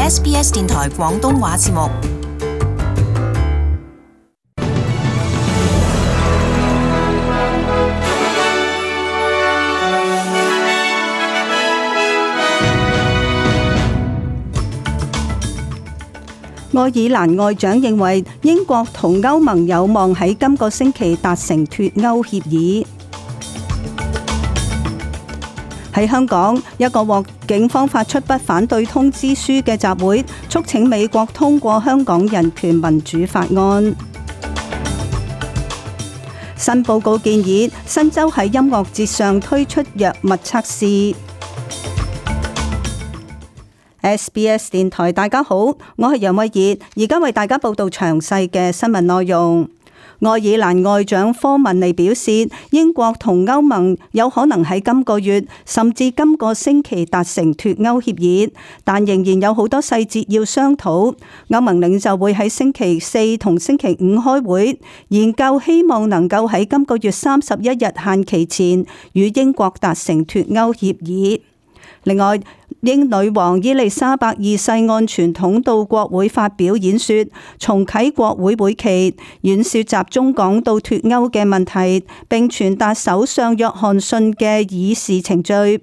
SBS 電台廣東話節目。愛爾蘭外長認為英國同歐盟有望喺今個星期達成脫歐協議。喺香港，一個獲警方發出不反對通知書嘅集會，促請美國通過香港人權民主法案。新報告建議新州喺音樂節上推出藥物測試。SBS 電台，大家好，我係楊慧儀，而家為大家報道詳細嘅新聞內容。愛爾蘭外長科文尼表示，英國同歐盟有可能喺今個月甚至今個星期達成脫歐協議，但仍然有好多細節要商討。歐盟領袖會喺星期四同星期五開會，研究希望能夠喺今個月31日限期前與英國達成脫歐協議。另外，英女王伊麗莎白二世按傳統到國會發表演說，重啟國會會期。演說集中講到脫歐嘅問題，並傳達首相約翰遜嘅議事程序。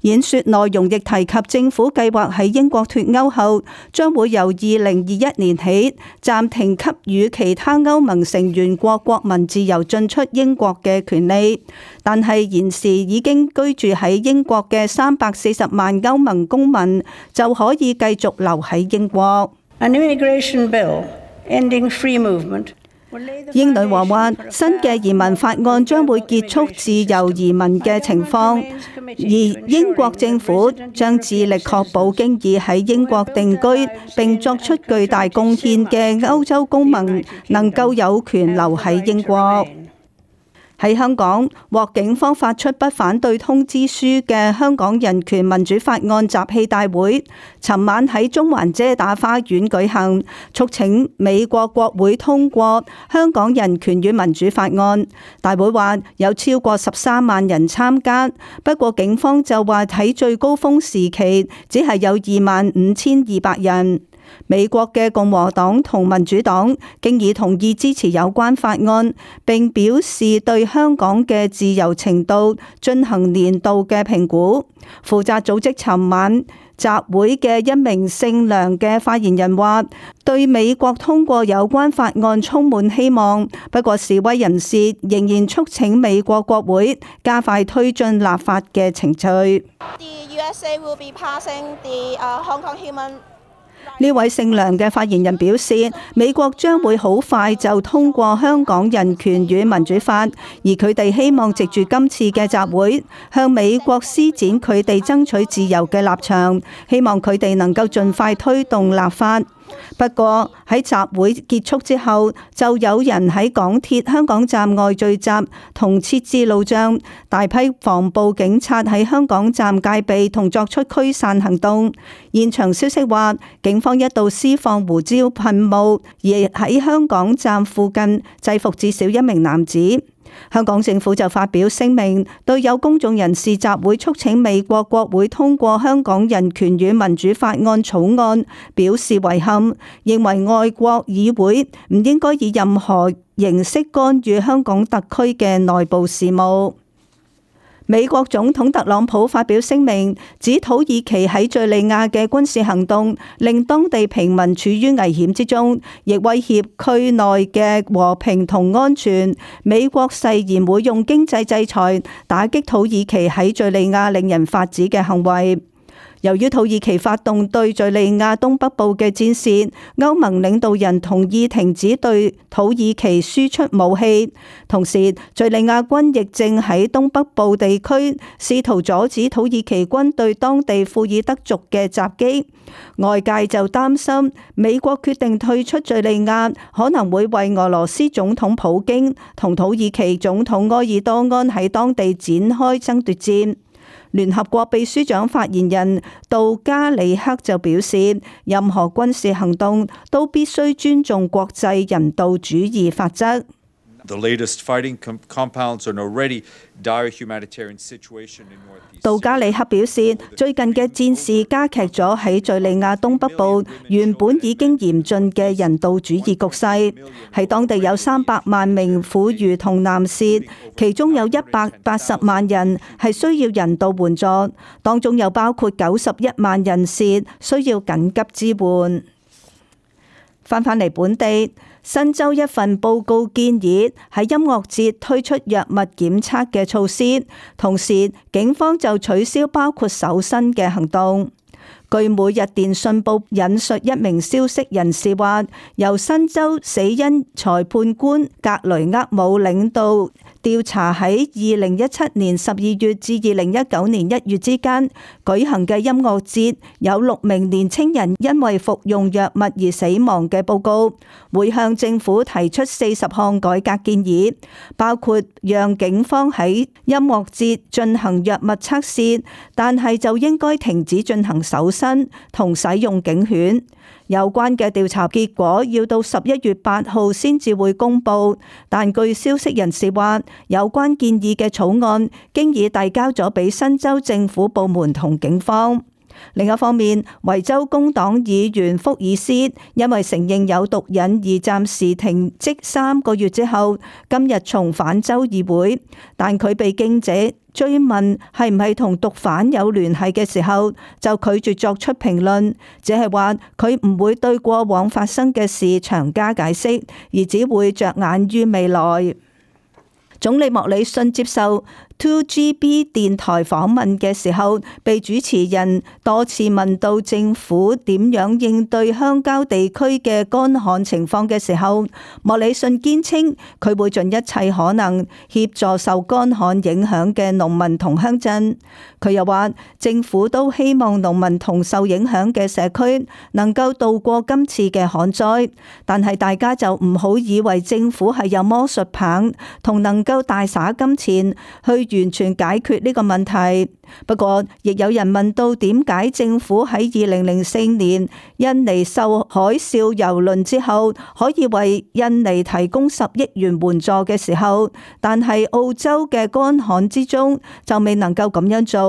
演說內容亦提及政府計劃喺英國脫歐後，將會由2021年起暫停給予其他歐盟成員國國民自由進出英國嘅權利，但係現時已經居住喺英國嘅340萬歐盟公民就可以繼續留喺英國。An immigration bill ending free movement。英女王話，新嘅移民法案將會結束自由移民嘅情況，而英國政府將致力確保經已喺英國定居並作出巨大貢獻嘅歐洲公民能夠有權留喺英國。喺香港，獲警方發出不反對通知書嘅香港人權民主法案集氣大會，尋晚喺中環遮打花園舉行，促請美國國會通過香港人權與民主法案。大會話有超過13萬人參加，不過警方就話喺最高峰時期只係有25,200人。美國嘅共和黨同民主黨經已同意支持有關法案，並表示對香港嘅自由程度進行年度嘅評估。負責組織尋晚集會嘅一名姓梁嘅發言人話，對美國通過有關法案充滿希望，不過示威人士仍然促請美國國會加快推進立法嘅程序。呢位姓梁嘅發言人表示，美國將會好快就通過香港人權與民主法，而佢哋希望藉住今次嘅集會向美國施展佢哋爭取自由嘅立場，希望佢哋能夠盡快推動立法。不過喺集會結束之後，就有人喺港鐵香港站外聚集同設置路障，大批防暴警察喺香港站戒備同作出驅散行動。現場消息話，警方一度施放胡椒噴霧，而喺香港站附近制服至少1名男子。香港政府就發表聲明，對有公眾人士集會促請美國國會通過香港人權與民主法案草案表示遺憾，認為外國議會唔應該以任何形式干預香港特區嘅內部事務。美國總統特朗普發表聲明，指土耳其喺敘利亞嘅軍事行動令當地平民處於危險之中，亦威脅區內嘅和平同安全。美國誓言會用經濟制裁打擊土耳其喺敘利亞令人髮指嘅行為。由於土耳其發動對敘利亞東北部嘅戰事，歐盟領導人同意停止對土耳其輸出武器。同時，敘利亞軍亦正喺東北部地區試圖阻止土耳其軍對當地庫爾德族嘅襲擊。外界就擔心美國決定退出敘利亞，可能會為俄羅斯總統普京同土耳其總統埃爾多安喺當地展開爭奪戰。聯合國秘書長發言人杜加里克就表示，任何軍事行動都必須尊重國際人道主義法則。杜加里克表示，最近嘅戰事加劇咗喺敘利亞東北部原本已經嚴峻嘅人道主義局勢。喺當地有300萬名婦孺同男士，其中有180萬人係需要人道援助，當中又包括91萬人士需要緊急支援。翻嚟本地，新州一份報告建議喺音樂節推出藥物檢測嘅措施，同時警方就取消包括搜身嘅行動。據每日電訊報引述一名消息人士話，由新州死因裁判官格雷厄姆領導調查喺2017年12月至2019年1月之間舉行嘅音樂節，有6名年輕人因為服用藥物而死亡嘅報告，會向政府提出40項改革建議，包括讓警方喺音樂節進行藥物測試，但係就應該停止進行搜身同使用警犬。有關嘅調查結果要到11月8號先至會公佈，但據消息人士話，有關建議嘅草案經已遞交咗俾新州政府部門同警方。另一方面，維州工黨議員福爾斯因為承認有毒癮而暫時停職3個月之後，今日重返州議會，但佢被記者追問係唔係同毒販有聯繫嘅時候，就拒絕作出評論，只係話佢唔會對過往發生嘅事詳加解釋，而只會着眼於未來。總理莫里遜接受 2GB 電台訪問嘅時候，被主持人多次問到政府點樣應對鄉郊地區嘅乾旱情況嘅時候，莫里遜堅稱佢會盡一切可能協助受乾旱影響嘅農民同鄉鎮。佢又話，政府都希望農民同受影響嘅社區能夠渡過今次嘅旱災，但係大家就唔好以為政府係有魔術棒同能夠大灑金錢去完全解決呢個問題。不過，亦有人問到點解政府喺2004年印尼受海嘯蹂躪之後，可以為印尼提供10億元援助嘅時候，但係澳洲嘅乾旱之中就未能夠咁樣做。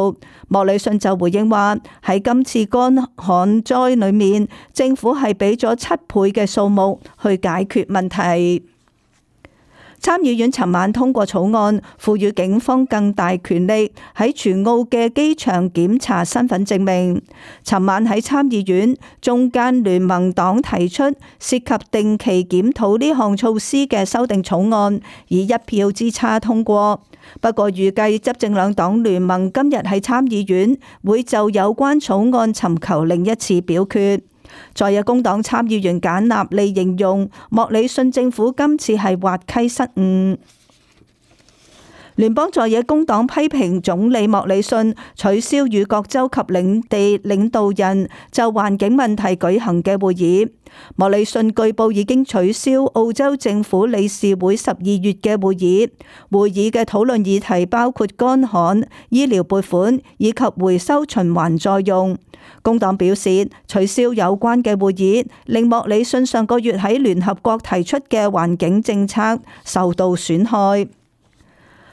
莫里遜就回應話，喺今次乾旱災裏面，政府係俾咗7倍嘅數目去解決問題。參議院尋晚通過草案，賦予警方更大權力喺全澳嘅機場檢查身份證明。尋晚喺參議院，中間聯盟黨提出涉及定期檢討呢項措施嘅修訂草案，以1票之差通過。不過預計執政兩黨聯盟今日喺參議院會就有關草案尋求另一次表決。在野工黨參議員簡納利形容莫里遜政府今次係滑稽失誤。聯邦在野工黨批評總理莫里遜取消與各州及領地領導人就環境問題舉行嘅會議。莫里遜據報已經取消澳洲政府理事會12月嘅會議。會議嘅討論議題包括乾旱、醫療撥款以及回收循環再用。工黨表示，取消有關嘅會議，令莫里遜上個月喺聯合國提出嘅環境政策受到損害。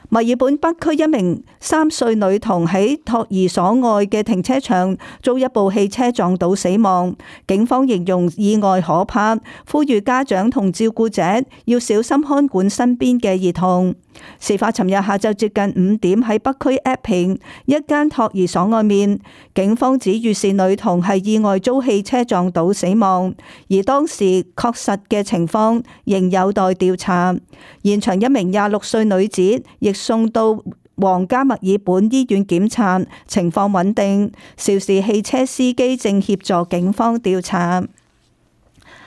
墨爾本北區一名3歲女童喺托兒所外嘅停車場遭一部汽車撞倒死亡，警方形容意外可怕，呼籲家長同照顧者要小心看管身邊嘅兒童。事發尋日下晝接近5點喺北區 Epping 一間托兒所外面，警方指預示女童係意外遭汽車撞倒死亡，而當時確實嘅情況仍有待調查。現場一名26歲女子亦送到皇家墨爾本醫院檢查，情況穩定。肇事汽車司機正協助警方調查。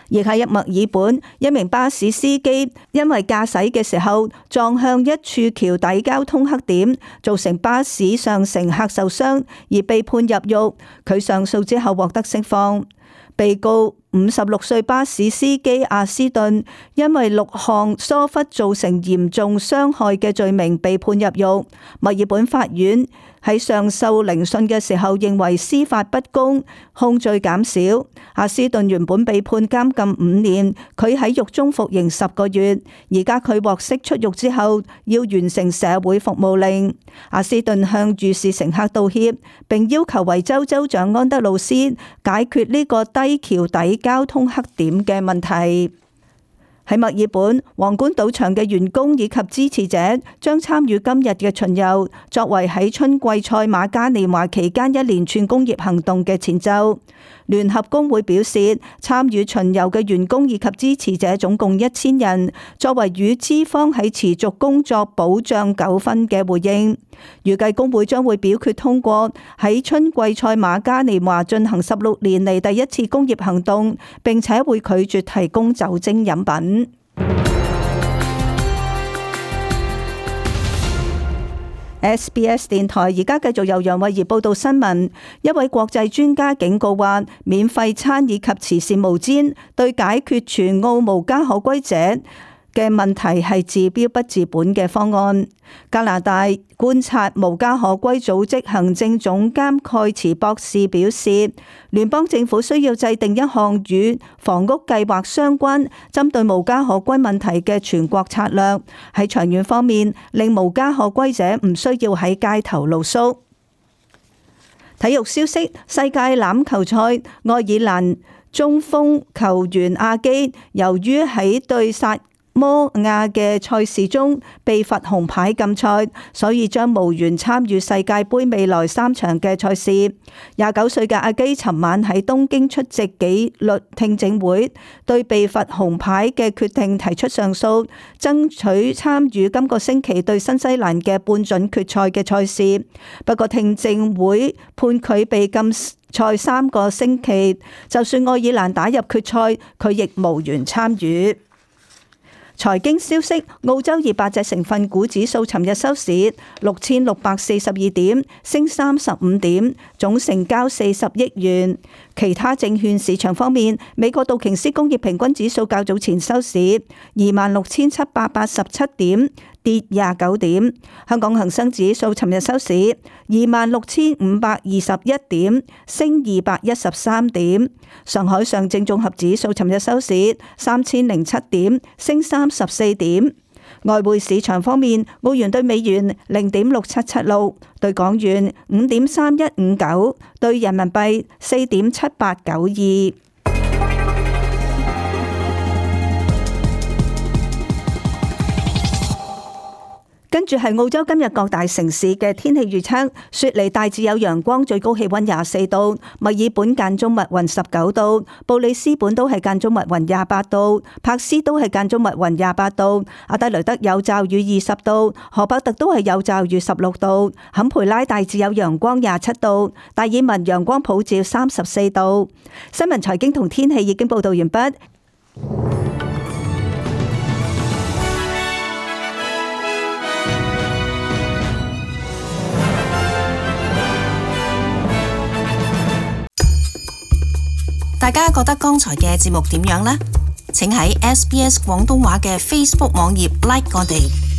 亦喺墨爾本，一名巴士司機因為駕駛嘅時候撞向一處橋底交通黑點，造成巴士上乘客受傷，而被判入獄。佢上訴之後獲得釋放。被告56歲巴士司機阿斯頓因為6項疏忽造成嚴重傷害嘅罪名被判入獄。墨爾本法院喺上訴聆訊嘅時候認為司法不公，控罪減少。阿斯頓原本被判監禁5年，佢喺獄中服刑10個月，而家佢獲釋出獄之後要完成社會服務令。阿斯頓向遇事乘客道歉，並要求維州州長安德魯斯解決呢個低橋底交通黑點嘅問題。喺墨爾本，皇冠賭場嘅員工以及支持者將參與今日嘅巡遊，作為喺春季賽馬嘉年華期間一連串工業行動嘅前奏。聯合工會表示，參與巡遊嘅員工以及支持者總共1000人，作為與資方喺持續工作保障糾紛嘅回應。預計工會將會表決通過喺春季賽馬嘉年華進行16年嚟第一次工業行動，並且會拒絕提供酒精飲品。SBS 電台而家繼續由楊慧儀報道新聞。一位國際專家警告話，免費餐以及慈善毛氈對解決全澳無家可歸者嘅問題係治標不治本嘅方案。加拿大觀察無家可歸組織行政總監蓋茨博士表示，聯邦政府需要制定一項與房屋計劃相關、針對無家可歸問題嘅全國策略，喺長遠方面令無家可歸者唔需要喺街頭露宿。體育消息：世界欖球賽，愛爾蘭中鋒球員阿基由於喺對薩摩亞嘅賽事中被罰紅牌禁賽，所以將無緣參與世界盃未來3場嘅賽事。29歲嘅阿基尋晚喺東京出席紀律聽證會，對被罰紅牌嘅決定提出上訴，爭取參與今個星期對新西蘭嘅半準決賽嘅賽事。不過聽證會判佢被禁賽3個星期，就算愛爾蘭打入決賽，佢亦無緣參與。財經消息：澳洲200隻成分股指數尋日收市6642點，升35點，總成交40億元。其他證券市場方面，美國道瓊斯工業平均指數較早前收市26,787點，跌29點。香港恒生指數尋日收市26,521點，升213點。上海上證綜合指數尋日收市3007點，升34點。外匯市場方面，澳元對美元0.6776，對港元5.3159，對人民幣4.7892。跟住係澳洲今日各大城市嘅天氣預測：雪梨大致有陽光，最高氣溫24度；墨爾本間中密雲19度；布里斯本都係間中密雲28度；柏斯都係間中密雲28度；阿德雷德有驟雨20度；荷伯特都係有驟雨16度；坎培拉大致有陽光27度；達爾文陽光普照34度。新聞財經同天氣已經報道完畢。大家覺得剛才嘅節目點樣呢？請喺SBS 廣東話嘅 Facebook 網頁 like 我哋。